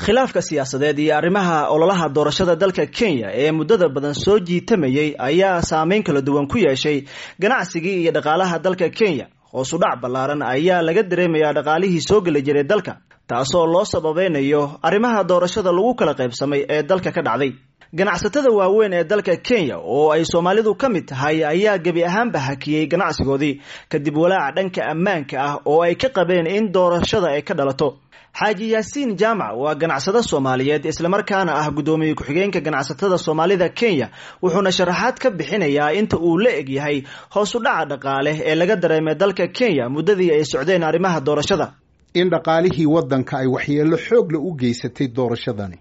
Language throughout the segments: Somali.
Khilaafka siyaasadeed iyo arrimaha ololaha doorashada dalka Kenya ee muddada badan soo jiitamayay ayaa saameyn kala duwan ku yeeshay ganacsigii iyo dhaqaalaha dalka Kenya. Hoos u dhac ballaaran ayaa laga dareemayaa dhaqaalihii soo geli jiray dalka, taasoo loo sababeynayo arrimaha doorashada lagu kala qaybsamay ee dalka ka dhacday. Ganacsatada waaweyn ee dalka Kenya oo ay Soomaalidu ka mid tahay ayaa gebi ahaanba hakiyey ganacsigoodii kadib walaaca dhanka ammaanka ah oo ay ka qabeen in doorashada ay ka dhalato. Xaaji Yaasiin Jaamac waa ganacsade Soomaaliyeed islamarkaana ah guddoomiye ku-xigeenka ganacsatada Soomaalida Kenya, wuxuuna sharaxaad ka bixinayaa inta uu la eg yahay hoos u dhaca dhaqaale ee laga dareemay dalka Kenya muddadii ay socdeen arrimaha doorashada. In dhaqaalihii waddanka ay waxyeello xoog leh u geysatay doorashadani.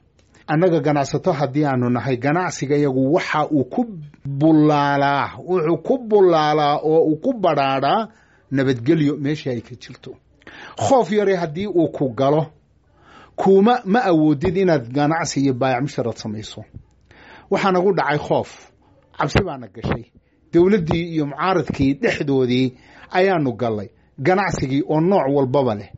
Annaga ganacsato haddii aanu nahay, ganacsiga iyagu waxa uu ku bullaalaa, wuxuu ku bullaalaa oo uu ku badhaadhaa nabadgelyo meesha ay ka jirto. Khoof yare haddii uu ku galo, kuuma ma awoodid inaad ganacsi iyo baayac musharad samayso. Waxaa nagu dhacay khoof, cabsi baana gashay. Dowladdii iyo mucaaradkii dhexdoodii ayaanu gallay. Ganacsigii oo nooc walbaba leh,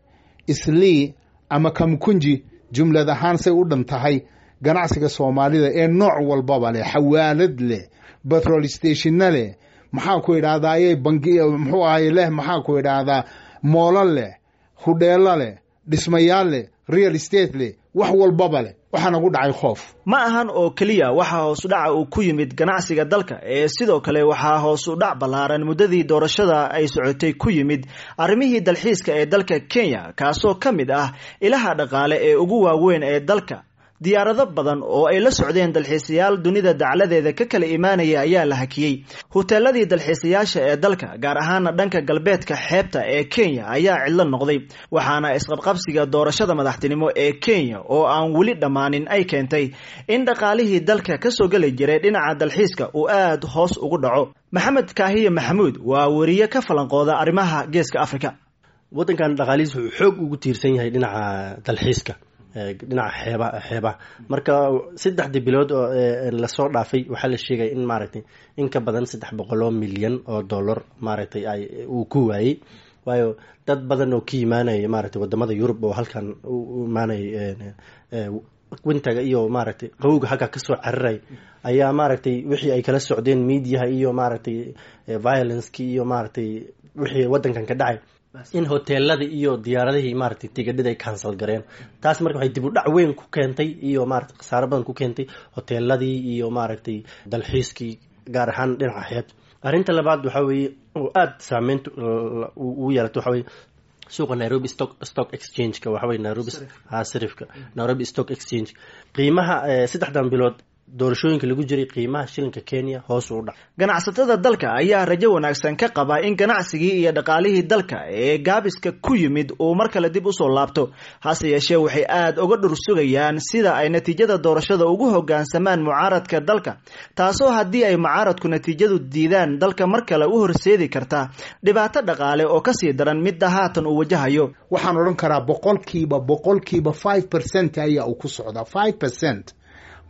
Islii ama Kamkunji, jumlad ahaan say u dhan tahay ganacsiga Soomaalida ee nooc walbaba leh, xawaalad leh, petrol stationna leh, maxaa ku idhahdaaye, bangi muxuu ahay leh, maxaa ku idhaahdaa, moolo leh, hudheelo leh, dhismayaal leh, real estate leh, wax walbaba leh, waxaa nagu dhacay khoof. Ma ahan oo keliya waxaa hoos u dhaca uu ku yimid ganacsiga dalka ee sidoo kale waxaa hoos u dhac ballaaran muddadii doorashada ay socotay ku yimid arrimihii dalxiiska ee dalka Kenya, kaasoo ka mid ah ilaha dhaqaale ee ugu waaweyn ee dalka. Diyaarado badan oo ay la socdeen dalxiisayaal dunida dacladeeda ka kala imaanaya ayaa la hakiyey. Huteeladii dalxiisayaasha ee dalka, gaar ahaana dhanka galbeedka xeebta ee Kenya, ayaa cidlo noqday, waxaana isqabqabsiga doorashada madaxtinimo ee Kenya oo aan weli dhammaanin ay keentay in dhaqaalihii dalka kasoo geli jiray dhinaca dalxiiska uu aad hoos ugu dhaco. Maxamed Kaahiye Maxamuud waa weriye ka falanqooda arrimaha Geeska Afrika. Waddankan dhaqaalihiis wuxuu xoog ugu tiirsan yahay dhinaca dalxiiska, dhinaca xeebaha. Marka 3dii bilood oo lasoo dhaafay waxaa la sheegay in maaragtay in ka badan 300 milyan oo dollar maaragtay ay uu ku waayey, waayo dad badan oo ka imaanaya maaragtay wadamada Yurub oo halkan u imaanaya winterga iyo maaragtay qawowga halkaa kasoo cararay ayaa maaragtay wixii ay kala socdeen mediaha iyo maaragtay violenceki iyo maaragtay wixii waddankan ka dhacay, in hoteelada iyo diyaaradihii maaragtay tigidhada ay cancel gareen. Taas marka waxay dib u dhac weyn ku keentay iyo maaragtay khasaaro badan ku keentay hoteeladii iyo maaragtay dalxiiskii, gaar ahaan dhinaca xeebta. Arrinta labaad waxaa weeye oo aada saameynta ugu yeelatay waxa weye suuqa Nairobi Stock Exchange-ka, waxa weye Nairobi ha sarifka Nairobi Stock Exchange. Qiimaha 3dan bilood doorashooyinka lagu jiray, qiimaha shilinka Kenya hoos u dhac. Ganacsatada dalka ayaa rajo wanaagsan ka qaba in ganacsigii iyo dhaqaalihii dalka ee gaabiska ku yimid uu mar kale dib usoo laabto. Hase yeeshee, waxay aada uga dhur sugayaan sida ay natiijada doorashada ugu hoggaansamaan mucaaradka dalka, taasoo haddii ay mucaaradku natiijadu diidaan dalka mar kale u horseedi karta dhibaato dhaqaale oo kasii daran midda haatan uu wajahayo. Waxaan odhan karaa boqolkiiba 5% ayaa uu ku socdaa, 5%.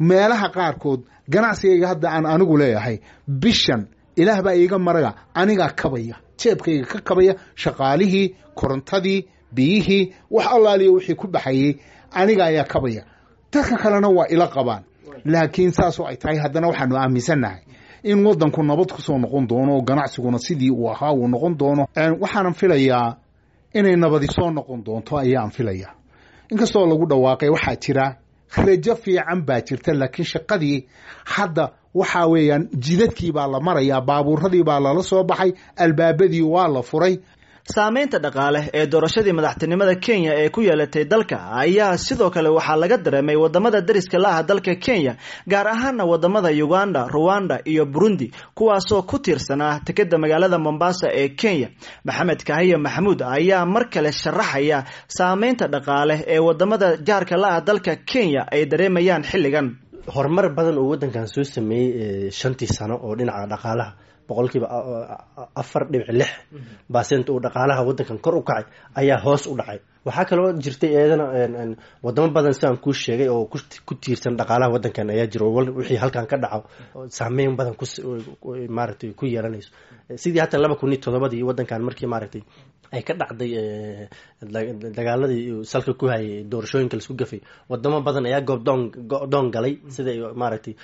Meelaha qaarkood ganacsigayga hadda aan anigu leeyahay, bishan Ilaah baa iiga maraga, anigaa kabaya, jeebkayga ka kabaya shaqaalihii, korontadii, biyihii, wax allaaliya wixii ku baxayey aniga ayaa kabaya. Dadka kalena waa ila qabaan. Laakiin saasoo ay tahay, haddana waxaanu aaminsannahay in waddanku nabad ku soo noqon doono oo ganacsiguna sidii uu ahaa uu noqon doono. Waxaanan filayaa inay nabadi soo noqon doonto ayaan filayaa, inkastoo lagu dhawaaqay. Waxaa jira rajo fiican baa jirta, laakiin shaqadii hadda waxaa weeyaan jidadkii baa la marayaa, baabuuradii baa lala soo baxay, albaabadii waa la furay. Saameynta dhaqaale ee doorashadii madaxtinimada Kenya ee ku yeelatay dalka ayaa sidoo kale waxaa laga dareemay wadamada dariska la ah dalka Kenya, gaar ahaana wadamada Uganda, Ruwanda iyo Burundi, kuwaasoo ku tiirsanaa tekeda magaalada Mombasa ee Kenya. Maxamed Kahiye Maxamuud ayaa mar kale sharaxaya saameynta dhaqaale ee wadamada jaarka la ah dalka Kenya ay dareemayaan xilligan. Horumar badan oo waddankan soo sameeyey 5tii sano oo dhinaca dhaqaalaha 4.6% uu dhaqaalaha waddankan kor u kacay ayaa hoos u dhacay. Waxaa kaloo jirtay eedana wadamo badan sidaan kuu sheegay oo ku tiirsan dhaqaalaha waddankan ayaa jiro, wixii halkan ka dhaco saameyn badan maaragtay ku yeelanayso. Sidii hata 2007dii waddankan markii maaragtay ay ka dhacday dagaaladii salka ku hayay doorashooyinka laisku gafay, wadamo badan ayaa goobdoon go-doon galay, sida maaragtay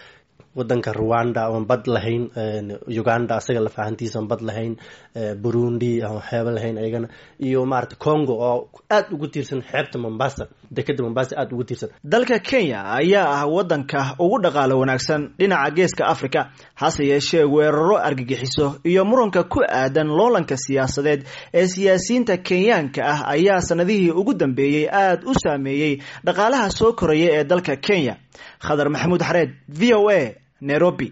wadanka Rwanda oon bad lahayn, Uganda asaga lafahantiisa oon bad lahayn, Burundi oon xeebo lahayn ayagana, iyo maaragtay Congo oo aada ugu tiirsan xeebta Mombasa, dekeda Mombasa aada ugu tiirsan. Dalka Kenya ayaa ah wadanka ugu dhaqaalo wanaagsan dhinaca geeska Africa, hase yeeshee weeraro argagixiso iyo muranka ku aadan loolanka siyaasadeed ee siyaasiyiinta Kenyaanka ah ayaa sanadihii ugu dambeeyey aada u saameeyey dhaqaalaha soo koraya ee dalka Kenya. Khadar Maxamuud Xareed, VOA, Nairobi.